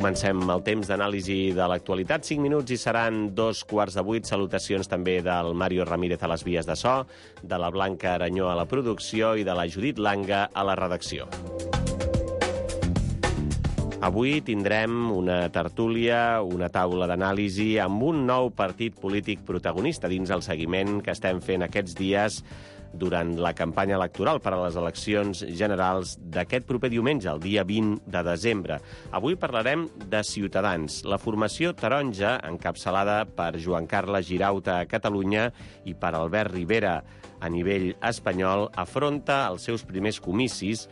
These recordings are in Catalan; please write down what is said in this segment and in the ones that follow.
Comencem el temps d'anàlisi de l'actualitat. 5 minuts i seran 7:15. Salutacions també del Mario Ramírez a les vies de so, de la Blanca Aranyó a la producció i de la Judit Langa a la redacció. Avui tindrem una tertúlia, una taula d'anàlisi amb un nou partit polític protagonista dins el seguiment que estem fent aquests dies durant la campanya electoral per a les eleccions generals d'aquest proper diumenge, el dia 20 de desembre. Avui parlarem de Ciutadans, la formació taronja encapçalada per Joan Carles Girauta a Catalunya i per Albert Rivera a nivell espanyol, afronta els seus primers comicis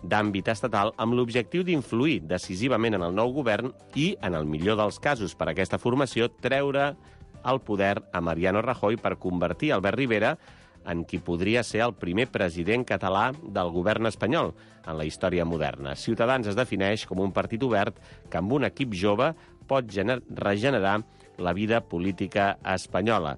d'àmbit estatal amb l'objectiu d'influir decisivament en el nou govern i, en el millor dels casos per a aquesta formació, treure el poder a Mariano Rajoy per convertir Albert Rivera en qui podria ser el primer president català del govern espanyol en la història moderna. Ciutadans es defineix com un partit obert que amb un equip jove pot regenerar la vida política espanyola.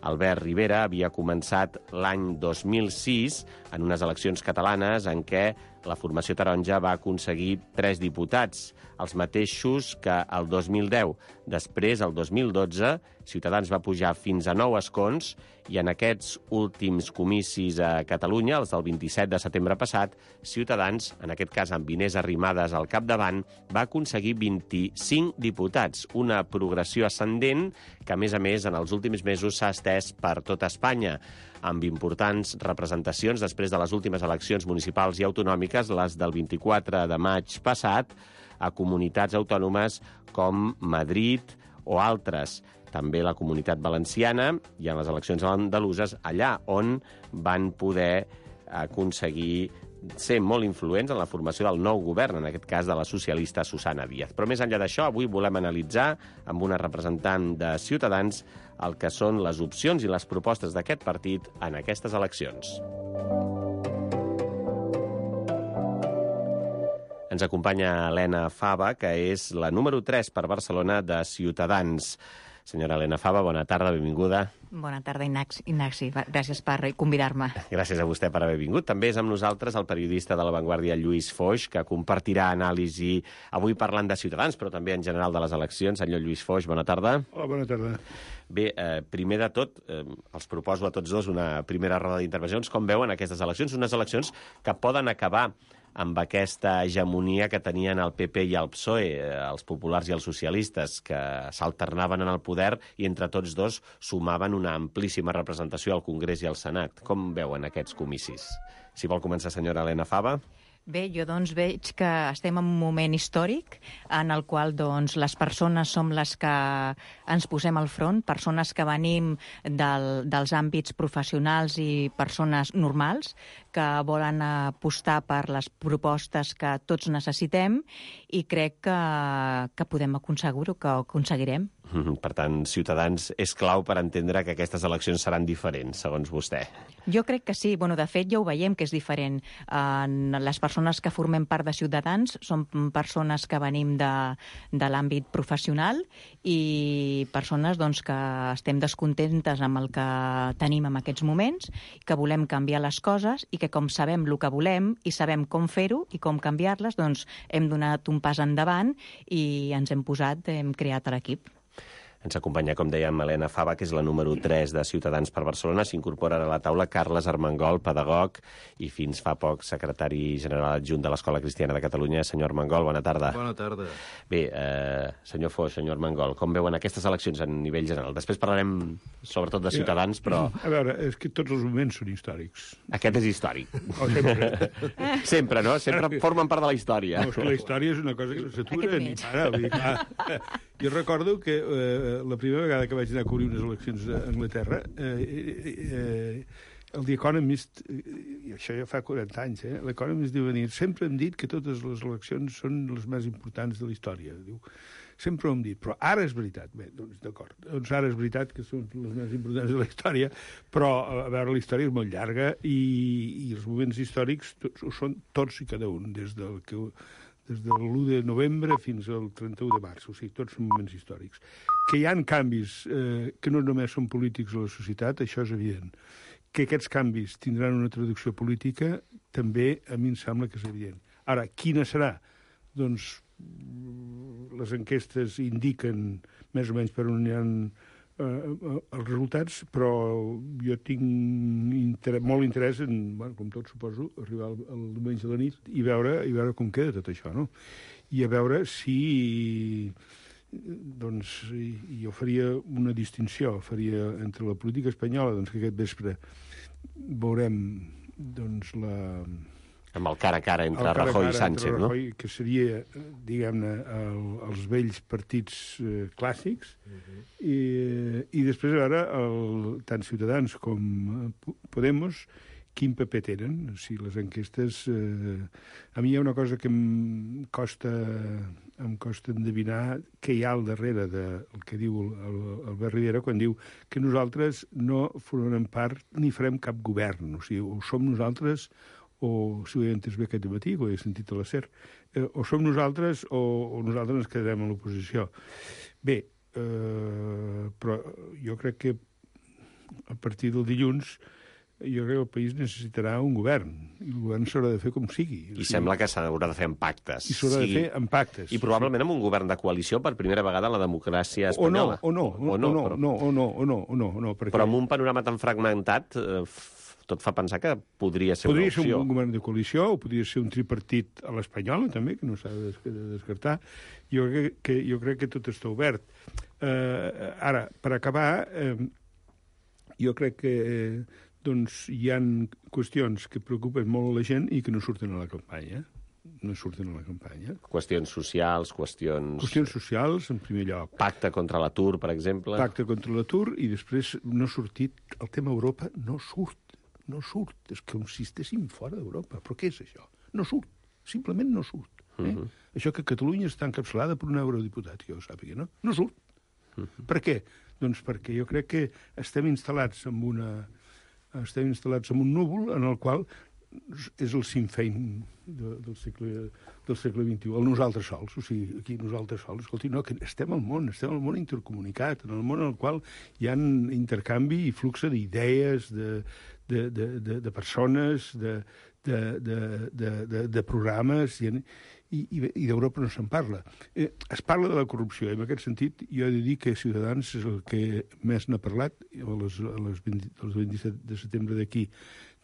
Albert Rivera havia començat l'any 2006 en unes eleccions catalanes en què la formació taronja va aconseguir 3 diputats, els mateixos que el 2010. Després, el 2012, Ciutadans va pujar fins a 9 escons i en aquests últims comicis a Catalunya, els del 27 de setembre passat, Ciutadans, en aquest cas amb Inés Arrimadas al capdavant, va aconseguir 25 diputats, una progressió ascendent que, a més, en els últims mesos s'ha estès per tot Espanya, amb importants representacions després de les últimes eleccions municipals i autonòmiques, les del 24 de maig passat, a comunitats autònomes com Madrid o altres. També la Comunitat Valenciana i en les eleccions andaluses, allà on van poder aconseguir ser molt influents en la formació del nou govern, en aquest cas de la socialista Susana Díaz. Però més enllà d'això, avui volem analitzar amb una representant de Ciutadans el que són les opcions i les propostes d'aquest partit en aquestes eleccions. Ens acompanya Helena Fava, que és la número 3 per Barcelona de Ciutadans. Senyora Helena Fava, bona tarda, benvinguda. Bona tarda, Ignasi. Gràcies per convidar-me. Gràcies a vostè per haver vingut. També és amb nosaltres el periodista de La Vanguardia, Lluís Foix, que compartirà anàlisi avui parlant de Ciutadans, però també en general de les eleccions. Senyor Lluís Foix, bona tarda. Hola, bona tarda. Bé, primer de tot, els proposo a tots dos una primera roda d'intervencions. Com veuen aquestes eleccions? Unes eleccions que poden acabar amb aquesta hegemonia que tenien el PP i el PSOE, els populars i els socialistes, que s'alternaven en el poder i entre tots dos sumaven una amplíssima representació al Congrés i al Senat. Com veuen aquests comicis? Si vol començar, senyora Helena Fava. Bé, jo doncs veig que estem en un moment històric en el qual doncs les persones som les que ens posem al front, persones que venim dels àmbits professionals i persones normals que volen apostar per les propostes que tots necessitem i crec que podem aconseguir-ho, que ho aconseguirem. Per tant, Ciutadans és clau per entendre que aquestes eleccions seran diferents, segons vostè. Jo crec que sí. Bueno, de fet, ja ho veiem que és diferent. Les persones que formem part de Ciutadans són persones que venim de l'àmbit professional i persones doncs, que estem descontentes amb el que tenim en aquests moments, que volem canviar les coses i que com sabem el que volem i sabem com fer-ho i com canviar-les, doncs hem donat un pas endavant i ens hem creat l'equip. Ens acompanya, com dèiem, Helena Fava, que és la número 3 de Ciutadans per Barcelona. S'incorpora a la taula Carles Armengol, pedagog i fins fa poc secretari general adjunt de l'Escola Cristiana de Catalunya. Senyor Armengol, bona tarda. Bona tarda. Bé, senyor Foix, senyor Armengol, com veuen aquestes eleccions a nivell general? Després parlarem sobretot de Ciutadans, però... A veure, és que tots els moments són històrics. Aquest és històric. Oh, sempre. Sempre, no? Sempre formen part de la història. No, és que la història és una cosa que no s'atura ni para. Vull dir, clar. Jo recordo que la primera vegada que vaig anar a cobrir unes eleccions a Anglaterra, el The Economist, i això ja fa 40 anys, l'Economist diu venir, sempre hem dit que totes les eleccions són les més importants de la història. Diu, sempre ho hem dit, però ara és veritat. Bé, doncs d'acord, doncs ara és veritat que són les més importants de la història, però a veure, la història és molt llarga i els moments històrics ho són tots i cada un, des de l'1 de novembre fins al 31 de març, o sigui, tots són moments històrics. Que hi ha canvis que no només són polítics a la societat, això és evident. Que aquests canvis tindran una traducció política, també a mi em sembla que és evident. Ara, quina serà? Doncs les enquestes indiquen més o menys per on hi ha els resultats, però jo tinc molt interès en, com tot suposo, arribar el diumenge a la nit i veure com queda tot això, no? I a veure si... doncs jo faria una distinció, faria entre la política espanyola, doncs que aquest vespre veurem doncs amb el cara a cara entre Rajoy i Sánchez, no? Rajoy, que seria, diguem-ne, els vells partits clàssics, i després a veure tant Ciutadans com Podemos quin paper tenen. Si les enquestes... a mi hi ha una cosa que em costa endevinar què hi ha al darrere del que diu Albert Rivera quan diu que nosaltres no formarem part ni farem cap govern. O sigui, o som nosaltres, o si ho he entès bé aquest matí, que ho he sentit a la SER, o som nosaltres o nosaltres ens quedarem a l'oposició. Bé, però jo crec que a partir del dilluns jo crec que el país necessitarà un govern, i el govern s'haurà de fer com sigui. I sembla que s'haurà de fer amb pactes. I s'haurà de fer amb pactes. I probablement amb un govern de coalició per primera vegada en la democràcia espanyola. O no. Però amb un panorama tan fragmentat, tot fa pensar que podria ser una opció. Podria ser un govern de coalició, o podria ser un tripartit a l'espanyola, també, que no s'ha de descartar. Jo crec que tot està obert. Ara, per acabar, jo crec que doncs hi ha qüestions que preocupen molt a la gent i que no surten a la campanya. Qüestions socials, Qüestions socials, en primer lloc. Pacte contra l'atur, per exemple. Pacte contra l'atur, i després no ha sortit... El tema Europa no surt. És com si estéssim fora d'Europa. Però què és això? No surt. Simplement no surt. Això que Catalunya està encapçalada per un eurodiputat, que jo ho sàpiga, no? No surt. Per què? Doncs perquè jo crec que estem instal·lats en un núvol en el qual és el Sinn Féin del segle XXI, el nosaltres sols. O sigui, aquí nosaltres sols. Escolti, no, que estem al món intercomunicat, en el món en el qual hi ha intercanvi i flux d'idees, de persones, de programes, i d'Europa no se'n parla. Es parla de la corrupció, i en aquest sentit jo he de dir que Ciutadans és el que més n'ha parlat, els 27 de setembre d'aquí,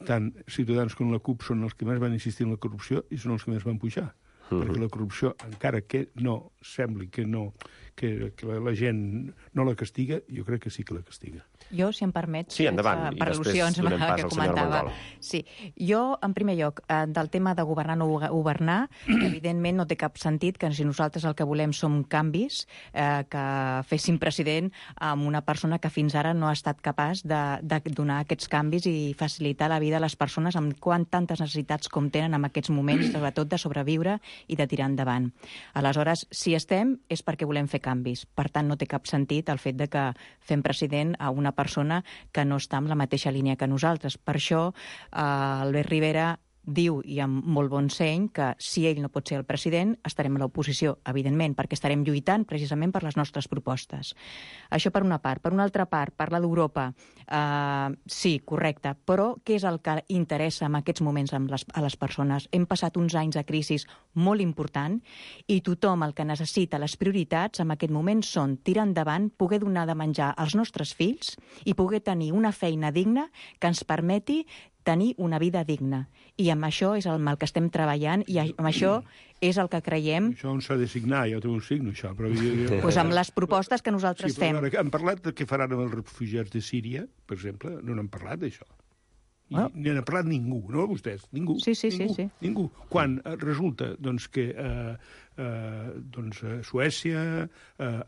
tant Ciutadans com la CUP són els que més van insistir en la corrupció i són els que més van pujar. Perquè la corrupció, encara que no sembli que la gent no la castiga, jo crec que sí que la castiga. Jo, si em permet... Sí, endavant, i després donem pas al senyor Armengol. Sí, jo, en primer lloc, del tema de governar o no governar, evidentment no té cap sentit que si nosaltres el que volem són canvis, que féssim president amb una persona que fins ara no ha estat capaç de donar aquests canvis i facilitar la vida a les persones amb tantes necessitats com tenen en aquests moments, sobretot de sobreviure i de tirar endavant. Aleshores, si estem, és perquè volem fer canvis. Per tant, no té cap sentit el fet de que fem president a una persona que no està en la mateixa línia que nosaltres. Per això, Albert Rivera diu, i amb molt bon seny, que si ell no pot ser el president, estarem a l'oposició, evidentment, perquè estarem lluitant precisament per les nostres propostes. Això per una part. Per una altra part, parla d'Europa. Sí, correcte, però què és el que interessa en aquests moments a les persones? Hem passat uns anys de crisi molt important i tothom el que necessita, les prioritats en aquest moment són tirar endavant, poder donar de menjar als nostres fills i poder tenir una feina digna que ens permeti tenir una vida digna. I amb això és el que estem treballant i amb això és el que creiem... Això on s'ha de signar? Jo també ho signo, això. Però pues amb les propostes que nosaltres fem. Han parlat de què faran amb els refugiats de Síria, per exemple? No n'han parlat, d'això. Ni n'ha parlat ningú, no? Vostès, ningú. Sí. Ningú. Quan resulta que Suècia,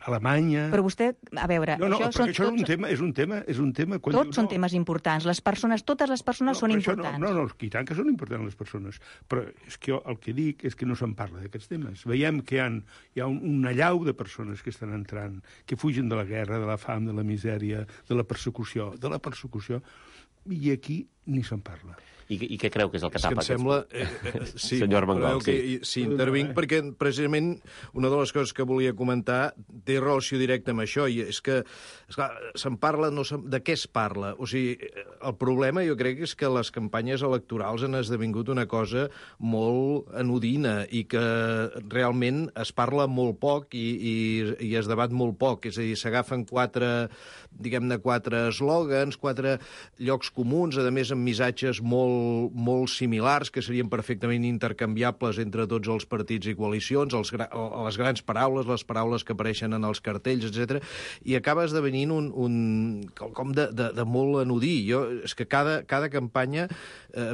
Alemanya... Però vostè, a veure... Això és un tema... Tots són temes importants. Totes les persones són importants. No, i tant que són importants les persones. Però és que el que dic és que no se'n parla d'aquests temes. Veiem que hi ha una llau de persones que estan entrant, que fugen de la guerra, de la fam, de la misèria, de la persecució, i aquí ni se'n parla. I què creu que és el que tapa? Em sembla... Sí, senyor Armengol, sí, intervinc perquè precisament una de les coses que volia comentar té relació directa amb això, i és que, esclar, se'n parla, de què es parla? O sigui, el problema jo crec és que les campanyes electorals han esdevingut una cosa molt anodina i que realment es parla molt poc i es debat molt poc. És a dir, s'agafen quatre eslògans, 4 llocs comuns, a més amb missatges molt similars, que serien perfectament intercanviables entre tots els partits i coalicions, les grans paraules, les paraules que apareixen en els cartells, etc. I acaba esdevenint quelcom de molt anodí. És que cada campanya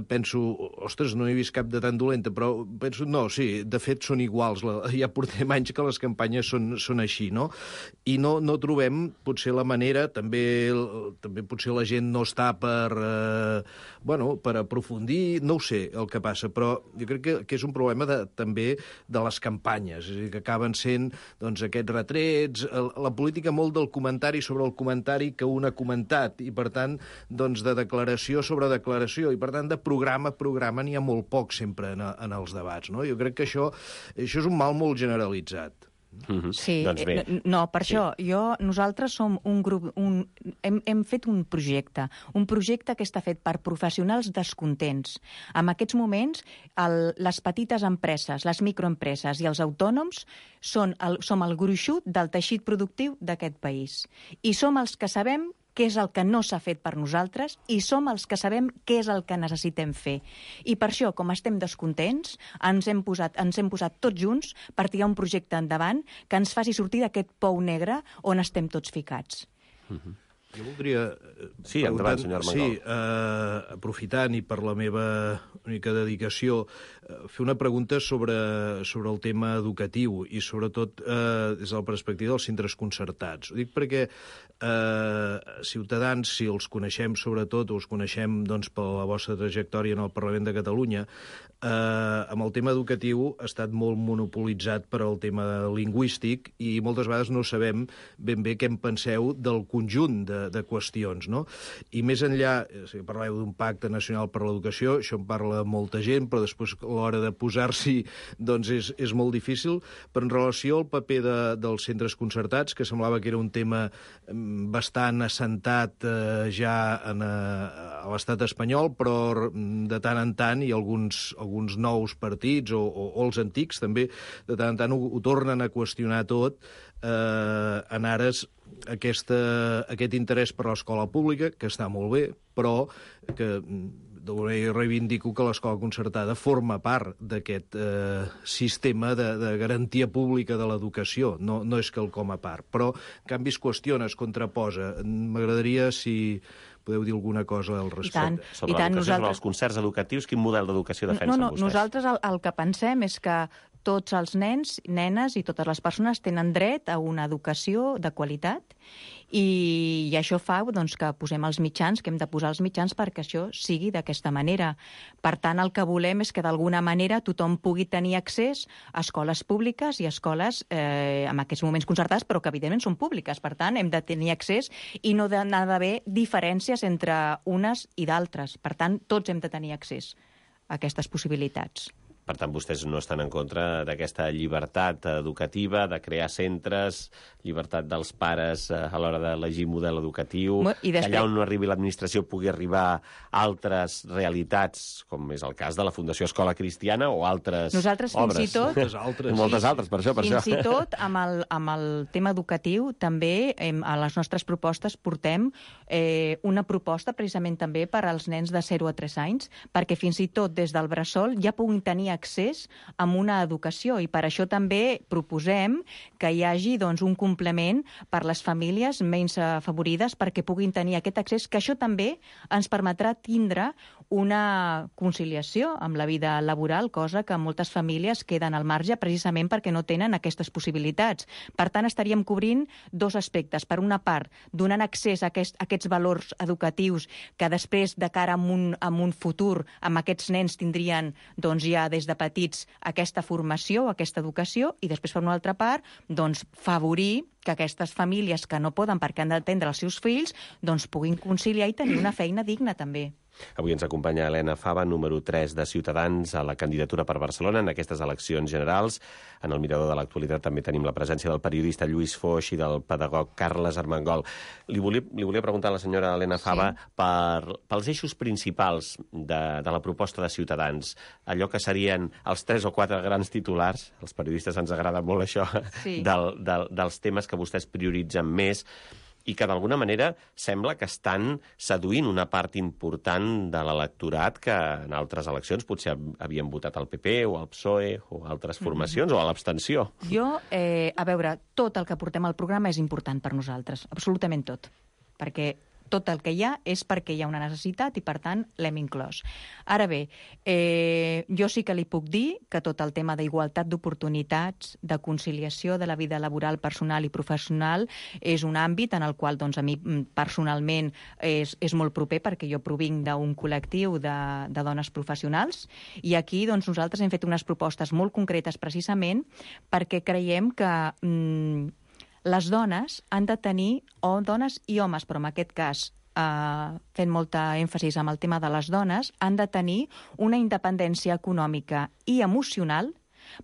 penso, ostres, no he vist cap de tan dolenta, però penso, no, sí, de fet són iguals. Ja portem anys que les campanyes són així, no? I no trobem, potser la manera, també potser la gent no està per aprofundir, no ho sé el que passa, però jo crec que és un problema també de les campanyes, és a dir, que acaben sent aquests retrets, la política molt del comentari sobre el comentari que un ha comentat, i per tant, de declaració sobre declaració, i per tant, de programa a programa n'hi ha molt poc sempre en els debats, no? Jo crec que això és un mal molt generalitzat. Sí, doncs bé. No, per això, nosaltres som un grup, hem fet un projecte que està fet per professionals descontents. En aquests moments, les petites empreses, les microempreses i els autònoms som el gruixut del teixit productiu d'aquest país. I som els que sabem què és el que no s'ha fet per nosaltres i som els que sabem què és el que necessitem fer. I per això, com estem descontents, ens hem posat tots junts per tirar un projecte endavant que ens faci sortir d'aquest pou negre on estem tots ficats. Jo voldria... Sí, endavant, senyor Armengol. Sí, aprofitant i per la meva única dedicació, fer una pregunta sobre el tema educatiu i sobretot des de la perspectiva dels centres concertats. Ho dic perquè Ciutadans, si els coneixem sobretot, o els coneixem per la vostra trajectòria en el Parlament de Catalunya, amb el tema educatiu ha estat molt monopolitzat per al tema lingüístic i moltes vegades no sabem ben bé què en penseu del conjunt de qüestions, no? I més enllà, si parleu d'un pacte nacional per l'educació, això en parla molta gent, però després a l'hora de posar-s'hi és molt difícil, però en relació al paper dels centres concertats, que semblava que era un tema bastant assentat ja a l'estat espanyol, però de tant en tant hi ha alguns nous partits o els antics també de tant en tant ho tornen a qüestionar tot en ares aquest interès per l'escola pública, que està molt bé, però que reivindico que l'escola concertada forma part d'aquest sistema de garantia pública de l'educació, no és quelcom a part. Però, en canvi, es qüestiona, es contraposa. M'agradaria si podeu dir alguna cosa al respecte. Sobre l'educació, sobre els concerts educatius, quin model d'educació defensen vostès? Nosaltres el que pensem és que tots els nens, nenes i totes les persones tenen dret a una educació de qualitat i això fa que posem els mitjans, que hem de posar els mitjans perquè això sigui d'aquesta manera. Per tant, el que volem és que d'alguna manera tothom pugui tenir accés a escoles públiques i a escoles en aquests moments concertades, però que evidentment són públiques. Per tant, hem de tenir accés i no ha d'haver diferències entre unes i d'altres. Per tant, tots hem de tenir accés a aquestes possibilitats. Per tant, vostès no estan en contra d'aquesta llibertat educativa, de crear centres, llibertat dels pares a l'hora d'elegir model educatiu, que allà on no arribi l'administració pugui arribar altres realitats, com és el cas de la Fundació Escola Cristiana o altres obres. Nosaltres fins i tot... Moltes altres, per això. Fins i tot, amb el tema educatiu, també a les nostres propostes portem una proposta precisament també per als nens de 0 a 3 anys, perquè fins i tot des del bressol ja puguin tenir accés a una educació i per això també proposem que hi hagi un complement per les famílies menys afavorides perquè puguin tenir aquest accés, que això també ens permetrà tindre una conciliació amb la vida laboral, cosa que moltes famílies queden al marge precisament perquè no tenen aquestes possibilitats. Per tant, estaríem cobrint dos aspectes. Per una part, donant accés a aquests valors educatius que després, de cara a un futur, amb aquests nens tindrien ja des de petits aquesta formació, aquesta educació, i després, per una altra part, favorir que aquestes famílies que no poden perquè han d'atendre els seus fills puguin conciliar i tenir una feina digna també. Avui ens acompanya Elena Fava, número 3 de Ciutadans a la candidatura per Barcelona en aquestes eleccions generals. En el mirador de l'actualitat també tenim la presència del periodista Lluís Foix i del pedagog Carles Armengol. Li volia preguntar a la senyora Elena Fava pels eixos principals de la proposta de Ciutadans, allò que serien els 3 o 4 grans titulars, els periodistes ens agrada molt això, dels temes que vostès prioritzen més, i que d'alguna manera sembla que estan seduint una part important de l'electorat que en altres eleccions potser havien votat al PP o al PSOE o a altres formacions o a l'abstenció. Jo, a veure, tot el que portem al programa és important per nosaltres, absolutament tot, perquè tot el que hi ha és perquè hi ha una necessitat i, per tant, l'hem inclòs. Ara bé, jo sí que li puc dir que tot el tema d'igualtat d'oportunitats, de conciliació de la vida laboral, personal i professional és un àmbit en el qual doncs, a mi personalment és molt proper perquè jo provinc d'un col·lectiu de dones professionals i aquí doncs, nosaltres hem fet unes propostes molt concretes precisament perquè creiem que les dones han de tenir, o dones i homes, però en aquest cas fent molta èmfasis amb el tema de les dones, han de tenir una independència econòmica i emocional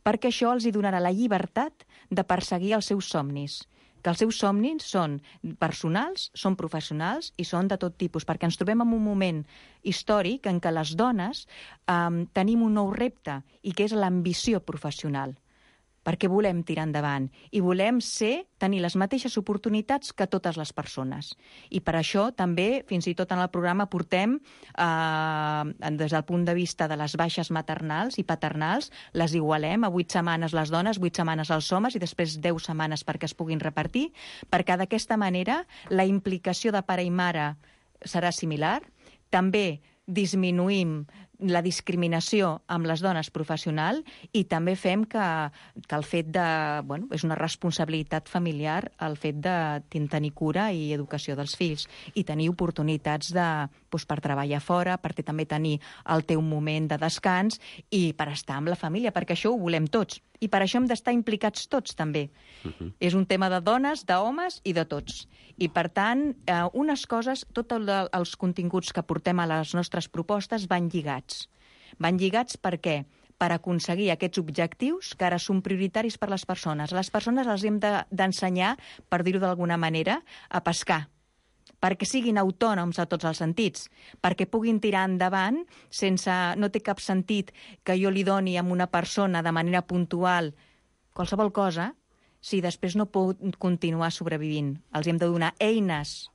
perquè això els hi donarà la llibertat de perseguir els seus somnis, que els seus somnis són personals, són professionals i són de tot tipus, perquè ens trobem en un moment històric en què les dones tenim un nou repte i que és l'ambició professional, perquè volem tirar endavant i volem tenir les mateixes oportunitats que totes les persones. I per això també, fins i tot en el programa, portem, des del punt de vista de les baixes maternals i paternals, les igualem a 8 setmanes les dones, 8 setmanes els homes i després 10 setmanes perquè es puguin repartir, perquè d'aquesta manera la implicació de pare i mare serà similar. També disminuïm la discriminació amb les dones professional i també fem que el fet de... Bueno, és una responsabilitat familiar el fet de tenir cura i educació dels fills i tenir oportunitats per treballar fora, per també tenir el teu moment de descans i per estar amb la família, perquè això ho volem tots. I per això hem d'estar implicats tots, també. És un tema de dones, d'homes i de tots. I, per tant, unes coses, tots els continguts que portem a les nostres propostes van lligats. Van lligats per què? Per aconseguir aquests objectius que ara són prioritaris per les persones. A les persones els hem d'ensenyar, per dir-ho d'alguna manera, a pescar, perquè siguin autònoms a tots els sentits, perquè puguin tirar endavant sense... No té cap sentit que jo li doni a una persona de manera puntual qualsevol cosa si després no pot continuar sobrevivint. Els hem de donar eines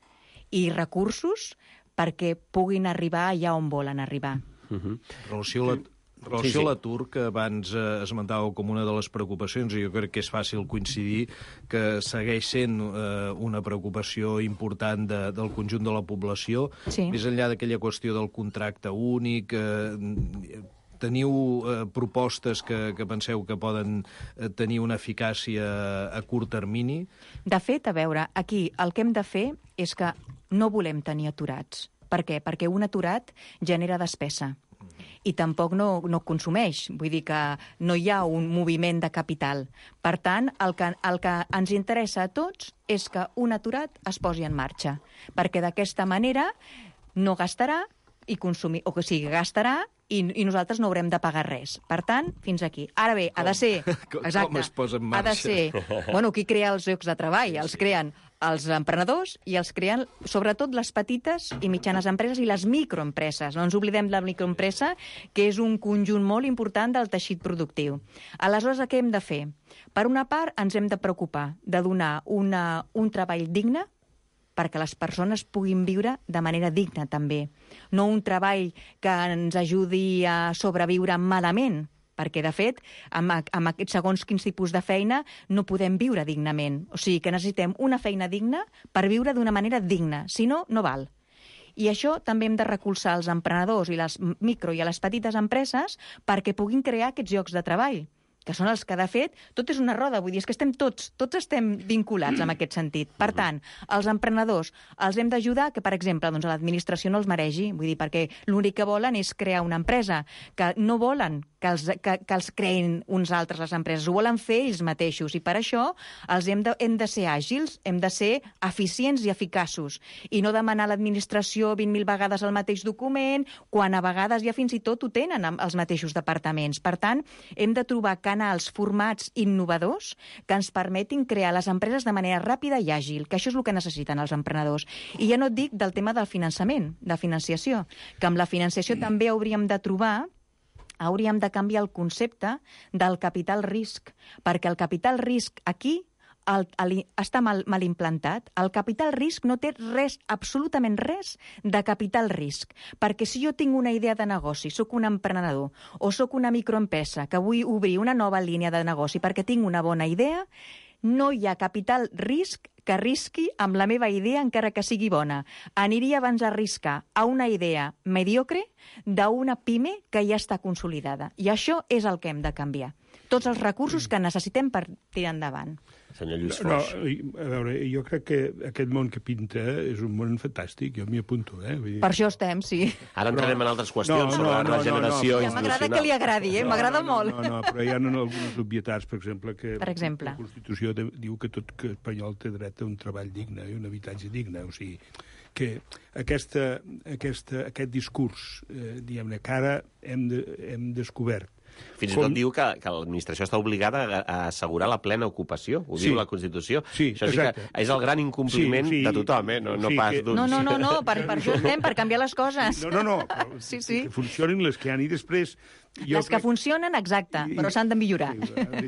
i recursos perquè puguin arribar allà on volen arribar. Relació a l'atur, que abans esmentàveu com una de les preocupacions, i jo crec que és fàcil coincidir que segueix sent una preocupació important del conjunt de la població, més enllà d'aquella qüestió del contracte únic. Teniu propostes que penseu que poden tenir una eficàcia a curt termini? De fet, a veure, aquí el que hem de fer és que no volem tenir aturats. Per què? Perquè un aturat genera despesa i tampoc no consumeix. Vull dir que no hi ha un moviment de capital. Per tant, el que ens interessa a tots és que un aturat es posi en marxa, perquè d'aquesta manera no gastarà i consumir, o que sigui, gastarà i nosaltres no haurem de pagar res. Per tant, fins aquí. Ara bé, ha de ser... Exacte, com es posa en marxa? Ha de ser... Bueno, qui crea els llocs de treball? Els creen els emprenedors i els creen sobretot les petites i mitjanes empreses i les microempreses. No ens oblidem de la microempresa, que és un conjunt molt important del teixit productiu. Aleshores, què hem de fer? Per una part, ens hem de preocupar de donar un treball digne perquè les persones puguin viure de manera digna, també. No un treball que ens ajudi a sobreviure malament, perquè, de fet, amb aquests segons quins tipus de feina no podem viure dignament. O sigui que necessitem una feina digna per viure d'una manera digna. Si no, no val. I això també hem de recolzar els emprenedors i les micro i a les petites empreses perquè puguin crear aquests llocs de treball, que són els que, de fet, tot és una roda, vull dir, és que estem tots estem vinculats en aquest sentit. Per tant, els emprenedors els hem d'ajudar que, per exemple, doncs, a l'administració no els meregi, vull dir, perquè l'únic que volen és crear una empresa, que no volen que els creïn uns altres, les empreses. Ho volen fer ells mateixos i per això hem de ser àgils, hem de ser eficients i eficaços i no demanar a l'administració 20.000 vegades el mateix document, quan a vegades ja fins i tot ho tenen els mateixos departaments. Per tant, hem de trobar canals, formats innovadors que ens permetin crear les empreses de manera ràpida i àgil, que això és el que necessiten els emprenedors. I ja no et dic del tema del finançament, de financiació, que amb la financiació també hauríem de canviar el concepte del capital risc, perquè el capital risc aquí està mal implantat. El capital risc no té res, absolutament res, de capital risc, perquè si jo tinc una idea de negoci, sóc un emprenedor, o sóc una microempresa que vull obrir una nova línia de negoci perquè tinc una bona idea, no hi ha capital risc que risqui amb la meva idea encara que sigui bona. Aniria abans a arriscar a una idea mediocre d'una pime que ja està consolidada. I això és el que hem de canviar. Tots els recursos que necessitem per tirar endavant. Senyor Lluís Foix. A veure, jo crec que aquest món que pinta és un món fantàstic, jo m'hi apunto. Per això estem, sí. Ara entrarem en altres qüestions sobre la regeneració institucional. Ja m'agrada que li agradi, m'agrada molt. No, però hi ha algunes obvietats, per exemple, que la Constitució diu que tot espanyol té dret a un treball digne i un habitatge digne. O sigui, que aquest discurs, diguem-ne, que ara hem descobert. Fins i tot diu que l'administració està obligada a assegurar la plena ocupació. Ho diu la Constitució. Sí, això sí que és el gran incompliment de tothom, no pas d'uns. No, per això estem, per canviar les coses. No, que funcionin les que hi ha i després... Les que funcionen, exacte, però s'han de millorar.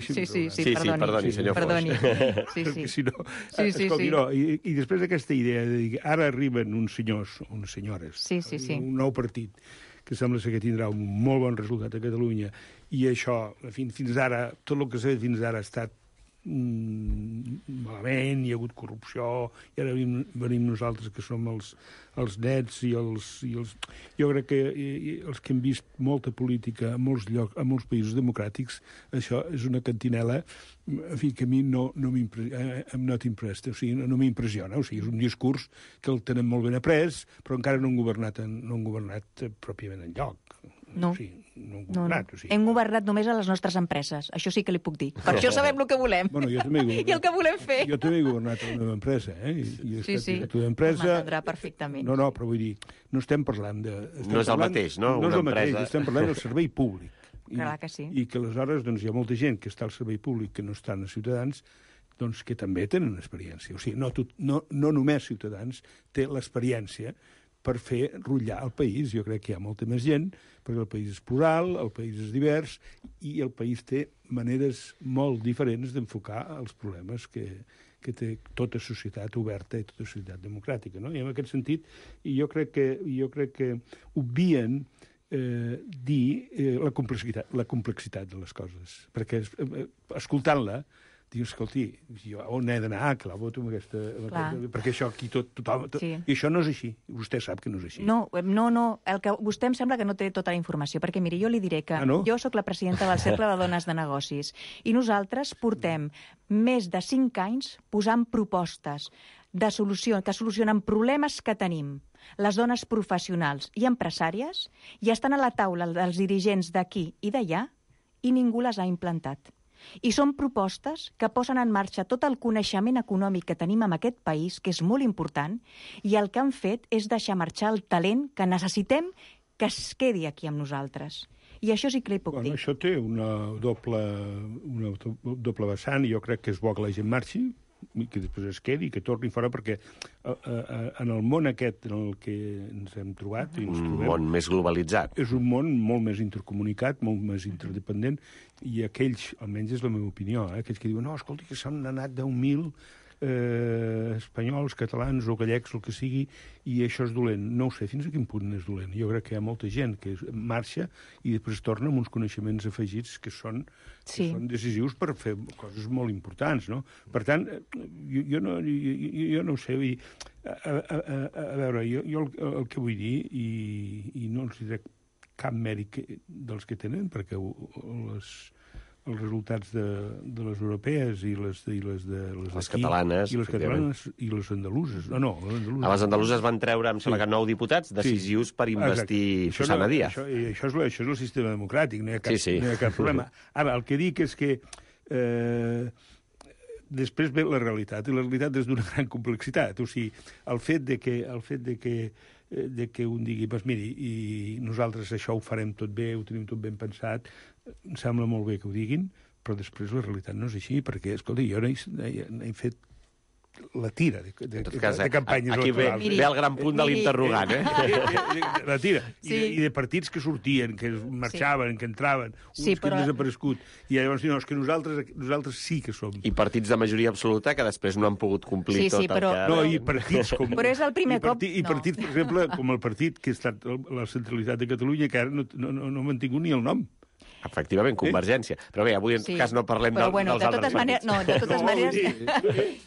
Sí, perdoni, senyor Foix. I després d'aquesta idea de dir ara arriben uns senyors, unes senyores, un nou partit, que sembla que tindrà un molt bon resultat a Catalunya, i això, fins ara, tot el que s'ha fet fins ara ha estat malament, hi ha hagut corrupció, i ara venim nosaltres que som els nets i els... Jo crec que els que hem vist molta política a molts llocs, a molts països democràtics, això és una cantinela, en fi, que a mi no m'impressiona. O sigui, és un discurs que el tenen molt ben après, però encara no han governat pròpiament enlloc. No. Sí, no hem governat. Hem governat només a les nostres empreses. Això sí que li puc dir. Per això sabem el que volem. Bueno, jo també he governat. I el que volem fer. Jo també he governat a la meva empresa. M'entendrà perfectament. No, però vull dir, no estem parlant de... No és el mateix, no? No és el mateix, estem parlant del servei públic. Clar que sí. I que aleshores hi ha molta gent que està al servei públic que no estan a Ciutadans, doncs que també tenen experiència. O sigui, no només Ciutadans té l'experiència per fer rutllar el país. Jo crec que hi ha molta més gent, perquè el país és plural, el país és divers, i el país té maneres molt diferents d'enfocar els problemes que té tota societat oberta i tota societat democràtica. No? I en aquest sentit, jo crec que obvien dir la complexitat de les coses, perquè escoltant-la dius, escolti, jo on he d'anar? Clar, voto amb aquesta... Perquè això aquí tothom... I això no és així. Vostè sap que no és així. No. Vostè em sembla que no té tota la informació, perquè, miri, jo li diré que jo sóc la presidenta del Cercle de Dones de Negocis i nosaltres portem més de 5 anys posant propostes de solució, que solucionen problemes que tenim les dones professionals i empresàries, i estan a la taula dels dirigents d'aquí i d'allà, i ningú les ha implantat. I són propostes que posen en marxa tot el coneixement econòmic que tenim en aquest país, que és molt important, i el que han fet és deixar marxar el talent que necessitem que es quedi aquí amb nosaltres. I això sí que li puc dir. Això té una doble vessant, i jo crec que és bo que la gent marxi, que després es quedi, que torni fora, perquè en el món aquest en el que ens hem trobat... Un món més globalitzat. És un món molt més intercomunicat, molt més interdependent, i aquells, almenys és la meva opinió, aquells que diuen, no, escolti, que s'han anat 10.000 espanyols, catalans o gallecs, el que sigui, i això és dolent. No ho sé, fins a quin punt és dolent. Jo crec que hi ha molta gent que marxa i després torna amb uns coneixements afegits que són decisius per fer coses molt importants, no? Per tant, jo no ho sé, a veure, jo el que vull dir, i no els diré cap mèrit dels que tenen, perquè els resultats de les europees i les catalanes, i les catalanes i les andaluses. No, les andaluses. Les andaluses van treure, em sembla que 9 diputats decisius per investir Susana Díaz. Això és el sistema democràtic, no hi ha cap problema. Ara, el que dic és que després ve la realitat, i la realitat és d'una gran complexitat. O sigui, el fet de que un digui, doncs miri, i nosaltres això ho farem tot bé, ho tenim tot ben pensat, em sembla molt bé que ho diguin, però després la realitat no és així, perquè, escolta, jo n'he fet la tira de campanyes aquí electorals. Aquí ve el gran punt de l'interrogant, La tira. I de partits que sortien, que marxaven, que entraven, uns que han desaparegut. I llavors diuen, és que nosaltres sí que som. I partits de majoria absoluta que després no han pogut complir tot el que... No, i partits com... Però és el primer cop... I partits, per exemple, com el partit que ha estat la centralitat de Catalunya, que ara no ha mantingut ni el nom. Efectivament, Convergència. Però bé, avui en tot cas no parlem dels altres partits. De totes maneres...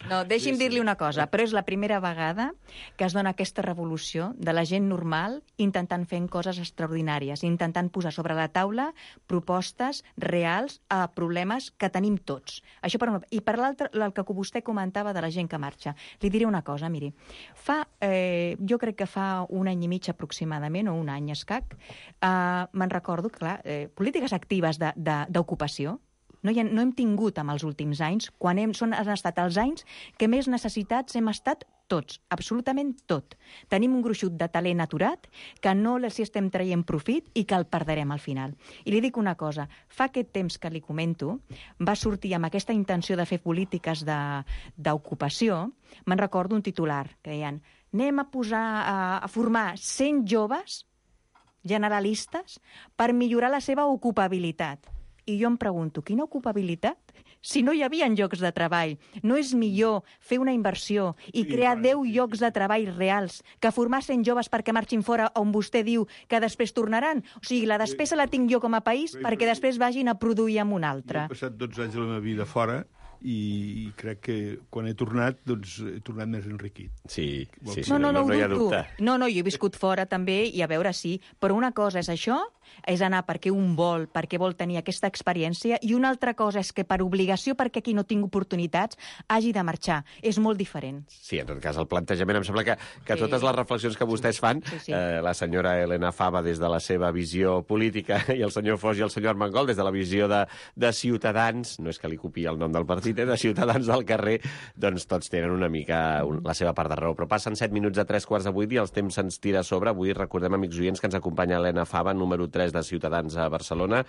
No, deixi'm dir-li una cosa, però és la primera vegada que es dona aquesta revolució de la gent normal intentant fer coses extraordinàries, intentant posar sobre la taula propostes reals a problemes que tenim tots. Això per una... I per l'altre, el que vostè comentava de la gent que marxa. Li diré una cosa, miri. Jo crec que fa un any i mig aproximadament, o un any escac, me'n recordo, clar, polítiques actives d'ocupació. No hem tingut en els últims anys, quan han estat els anys que més necessitats hem estat tots, absolutament tot. Tenim un gruixut de talent aturat que no els estem traient profit i que el perdrem al final. I li dic una cosa, fa aquest temps que li comento, va sortir amb aquesta intenció de fer polítiques d'ocupació, me'n recordo un titular que deien anem a formar 100 joves generalistes per millorar la seva ocupabilitat. I jo em pregunto, quina ocupabilitat? Si no hi havia llocs de treball, no és millor fer una inversió i crear 10 llocs de treball reals que formar 100 joves perquè marxin fora on vostè diu que després tornaran? O sigui, la despesa la tinc jo com a país perquè després vagin a produir en un altre. Jo he passat 12 anys de la meva vida fora i crec que quan he tornat, doncs he tornat més enriquit. Sí, no hi ha dubte. No, jo he viscut fora també i a veure si... Però una cosa és això, és anar perquè vol tenir aquesta experiència, i una altra cosa és que per obligació, perquè aquí no tinc oportunitats, hagi de marxar. És molt diferent. Sí, en tot cas, el plantejament, em sembla que totes les reflexions que vostès fan, la senyora Elena Fava des de la seva visió política i el senyor Foix i el senyor Armengol des de la visió de Ciutadans, no és que li copiï el nom del partit, de Ciutadans del carrer, doncs tots tenen una mica la seva part de raó. Però passen 7 minuts a 3:15 i el temps se'ns tira a sobre. Avui recordem, amics oients, que ens acompanya Elena Fava, número 3 de Ciutadans a Barcelona,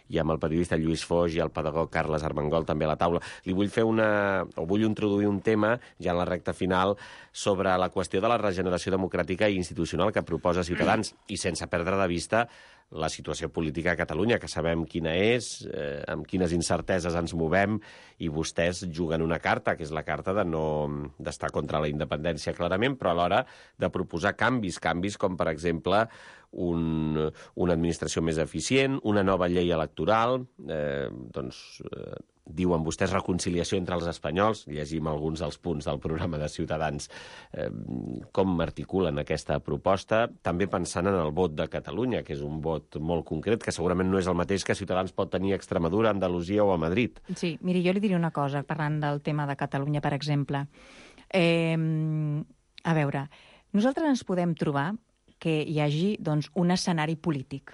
i amb el periodista Lluís Foix i el pedagog Carles Armengol també a la taula. Li vull vull introduir un tema, ja en la recta final, sobre la qüestió de la regeneració democràtica i institucional que proposa Ciutadans, i sense perdre de vista la situació política a Catalunya, que sabem quina és, amb quines incerteses ens movem, i vostès juguen una carta, que és la carta d'estar contra la independència, clarament, però alhora de proposar canvis com, per exemple, una administració més eficient, una nova llei electoral, diuen vostès reconciliació entre els espanyols, llegim alguns dels punts del programa de Ciutadans, com articulen aquesta proposta, també pensant en el vot de Catalunya, que és un vot molt concret, que segurament no és el mateix que Ciutadans pot tenir a Extremadura, Andalusia o a Madrid. Sí, miri, jo li diré una cosa, parlant del tema de Catalunya, per exemple. A veure, nosaltres ens podem trobar que hi hagi un escenari polític,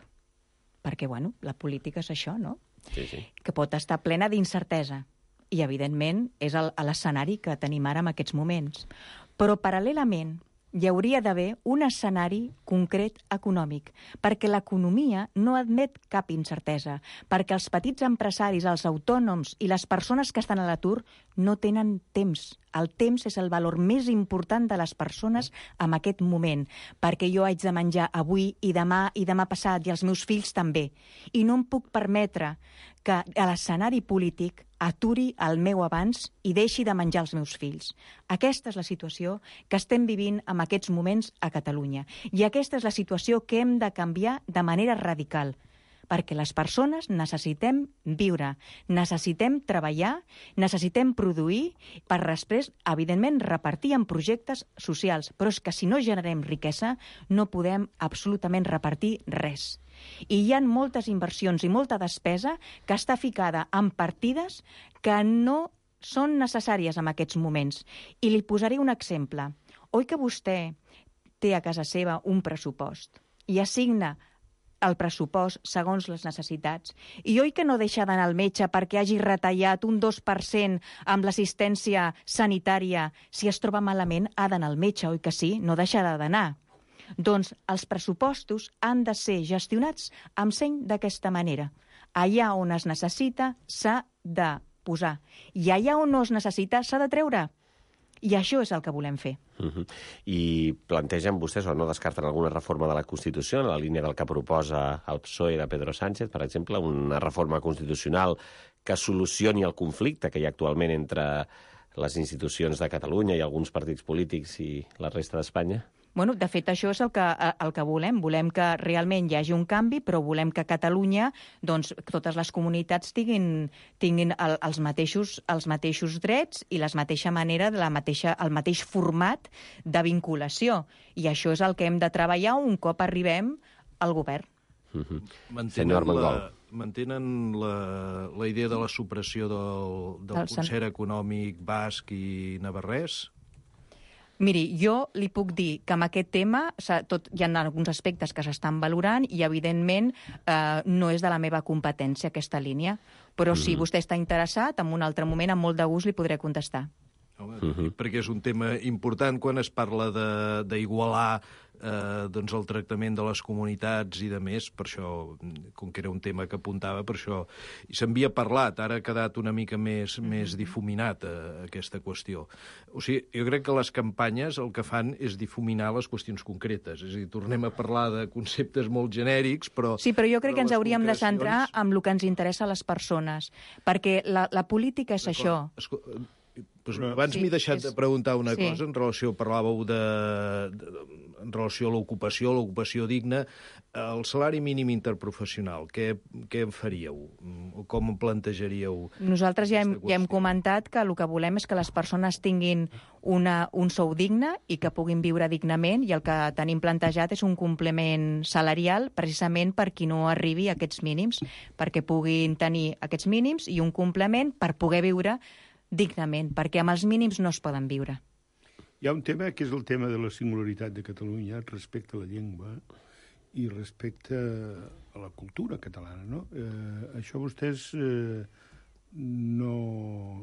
perquè, la política és això, no? Sí. Que pot estar plena d'incertesa. I, evidentment, és l'escenari que tenim ara en aquests moments. Però, paral·lelament, hi hauria d'haver un escenari concret econòmic, perquè l'economia no admet cap incertesa, perquè els petits empresaris, els autònoms i les persones que estan a l'atur no tenen temps. El temps és el valor més important de les persones en aquest moment, perquè jo haig de menjar avui i demà passat, i els meus fills també. I no em puc permetre que a l'escenari polític aturi el meu abans i deixi de menjar els meus fills. Aquesta és la situació que estem vivint en aquests moments a Catalunya. I aquesta és la situació que hem de canviar de manera radical, perquè les persones necessitem viure, necessitem treballar, necessitem produir per després, evidentment, repartir en projectes socials. Però és que si no generem riquesa, no podem absolutament repartir res. I hi ha moltes inversions i molta despesa que està ficada en partides que no són necessàries en aquests moments. I li posaré un exemple. Oi que vostè té a casa seva un pressupost i assigna el pressupost segons les necessitats? I oi que no deixa d'anar al metge perquè hagi retallat un 2% amb l'assistència sanitària? Si es troba malament, ha d'anar al metge, oi que sí? No deixarà d'anar. Doncs els pressupostos han de ser gestionats amb seny d'aquesta manera. Allà on es necessita s'ha de posar. I allà on no es necessita s'ha de treure. I això és el que volem fer. I plantegen vostès o no descarten alguna reforma de la Constitució en la línia del que proposa el PSOE de Pedro Sánchez, per exemple, una reforma constitucional que solucioni el conflicte que hi ha actualment entre les institucions de Catalunya i alguns partits polítics i la resta d'Espanya? Bueno, de fet, això és el que volem. Volem que realment hi hagi un canvi, però volem que a Catalunya doncs, totes les comunitats tinguin els mateixos drets i la mateixa manera, el mateix format de vinculació. I això és el que hem de treballar un cop arribem al govern. Mantenen la idea de la supressió del concert econòmic basc i navarrès? Miri, jo li puc dir que amb aquest tema hi ha alguns aspectes que s'estan valorant i, evidentment, no és de la meva competència aquesta línia. Però si vostè està interessat, en un altre moment, amb molt de gust, li podré contestar. Perquè és un tema important quan es parla d'igualar doncs el tractament de les comunitats i de més, per això, com que era un tema que apuntava, per això se'n havia parlat, ara ha quedat una mica més difuminat aquesta qüestió. O sigui, jo crec que les campanyes el que fan és difuminar les qüestions concretes, és a dir, tornem a parlar de conceptes molt genèrics, però... Sí, però jo crec que ens hauríem de centrar en el que ens interessa a les persones, perquè la política és això. Pues abans m'he deixat de preguntar una cosa en relació, parlàveu en relació a l'ocupació digna, el salari mínim interprofessional, què en faríeu? O com plantejaríeu? Nosaltres ja hem comentat que el que volem és que les persones tinguin un sou digne i que puguin viure dignament, i el que tenim plantejat és un complement salarial precisament per qui no arribi a aquests mínims, perquè puguin tenir aquests mínims i un complement per poder viure dignament, perquè amb els mínims no es poden viure. Hi ha un tema que és el tema de la singularitat de Catalunya respecte a la llengua i respecte a la cultura catalana, no? Això vostès no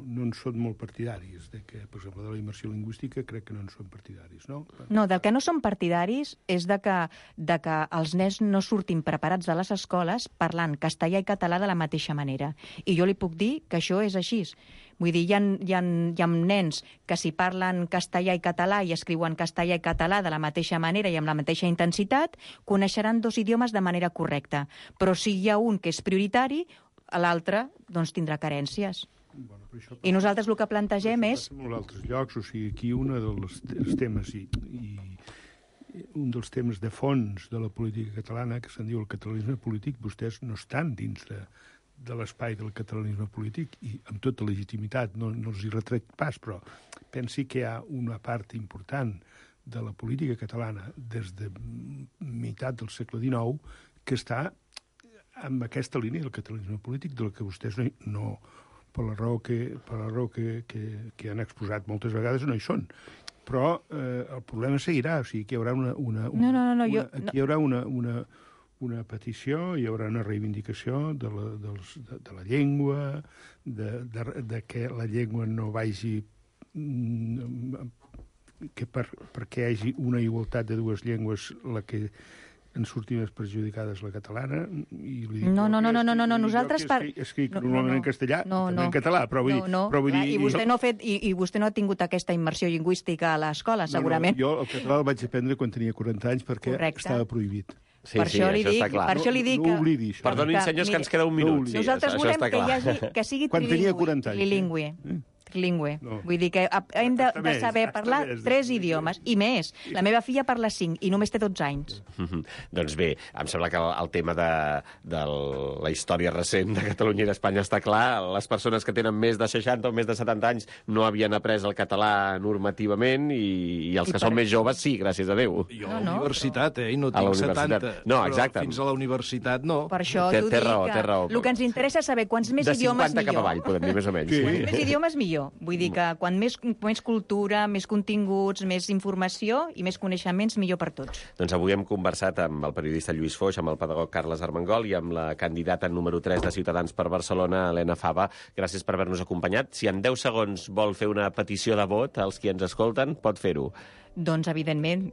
en són molt partidaris, de que, per exemple, de la immersió lingüística crec que no en són partidaris, no? No, del que no són partidaris és de que els nens no surtin preparats de les escoles parlant castellà i català de la mateixa manera. I jo li puc dir que això és així. Vull dir, hi ha nens que si parlen castellà i català i escriuen castellà i català de la mateixa manera i amb la mateixa intensitat, coneixeran dos idiomes de manera correcta. Però si hi ha un que és prioritari, l'altre doncs, tindrà carències. I nosaltres el que plantegem és... En molts altres llocs, o sigui, aquí un dels temes i un dels temes de fons de la política catalana, que se'n diu el catalanisme polític, vostès no estan dins de l'espai del catalanisme polític i amb tota legitimitat, no els hi retrec pas, però pensi que hi ha una part important de la política catalana des de meitat del segle XIX que està amb aquesta línia del catalanisme polític, del que vostès no per la raó que han exposat moltes vegades, no hi són. Però el problema seguirà, o sigui que hi haurà hi haurà una petició, hi haurà una reivindicació de la llengua, de que la llengua no vagi... que perquè hi hagi una igualtat de dues llengües la que en sortir més perjudicades la catalana. No, nosaltres... Escric normalment en castellà, també en català, però vull dir... I vostè no ha tingut aquesta immersió lingüística a l'escola, segurament. Jo el català el vaig aprendre quan tenia 40 anys perquè estava prohibit. Sí, això li dic... No oblidi això. Perdoni, senyors, que ens queda un minut. Nosaltres volem que sigui trilingüe. trilingüe. No. Vull dir que hem de saber Està parlar més. 3 idiomes, i més. La meva filla parla 5 i només té 12 anys. Doncs bé, em sembla que el tema de la història recent de Catalunya i d'Espanya està clar. Les persones que tenen més de 60 o més de 70 anys no havien après el català normativament i els que són més joves sí, gràcies a Déu. Jo a la universitat, i no A la tinc universitat. 70. No, però exacte. fins a la universitat no. Per això Té t'ho dic raó, que té raó. el que ens interessa és saber quants més De idiomes 50 cap millor. avall, podem dir més o menys. Sí. Quants més idiomes millor. Vull dir que quan més cultura, més continguts, més informació i més coneixements, millor per tots. Doncs avui hem conversat amb el periodista Lluís Foix, amb el pedagog Carles Armengol i amb la candidata número 3 de Ciutadans per Barcelona, Helena Fava. Gràcies per haver-nos acompanyat. Si en 10 segons vol fer una petició de vot als qui ens escolten, pot fer-ho. Doncs, evident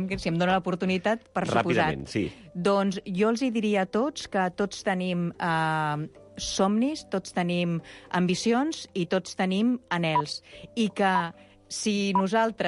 que si em dóna l'oportunitat, per suposat. Ràpidament, sí. Doncs jo els hi diria a tots que tots tenim somnis, tots tenim ambicions i tots tenim anhels. I que si nosaltres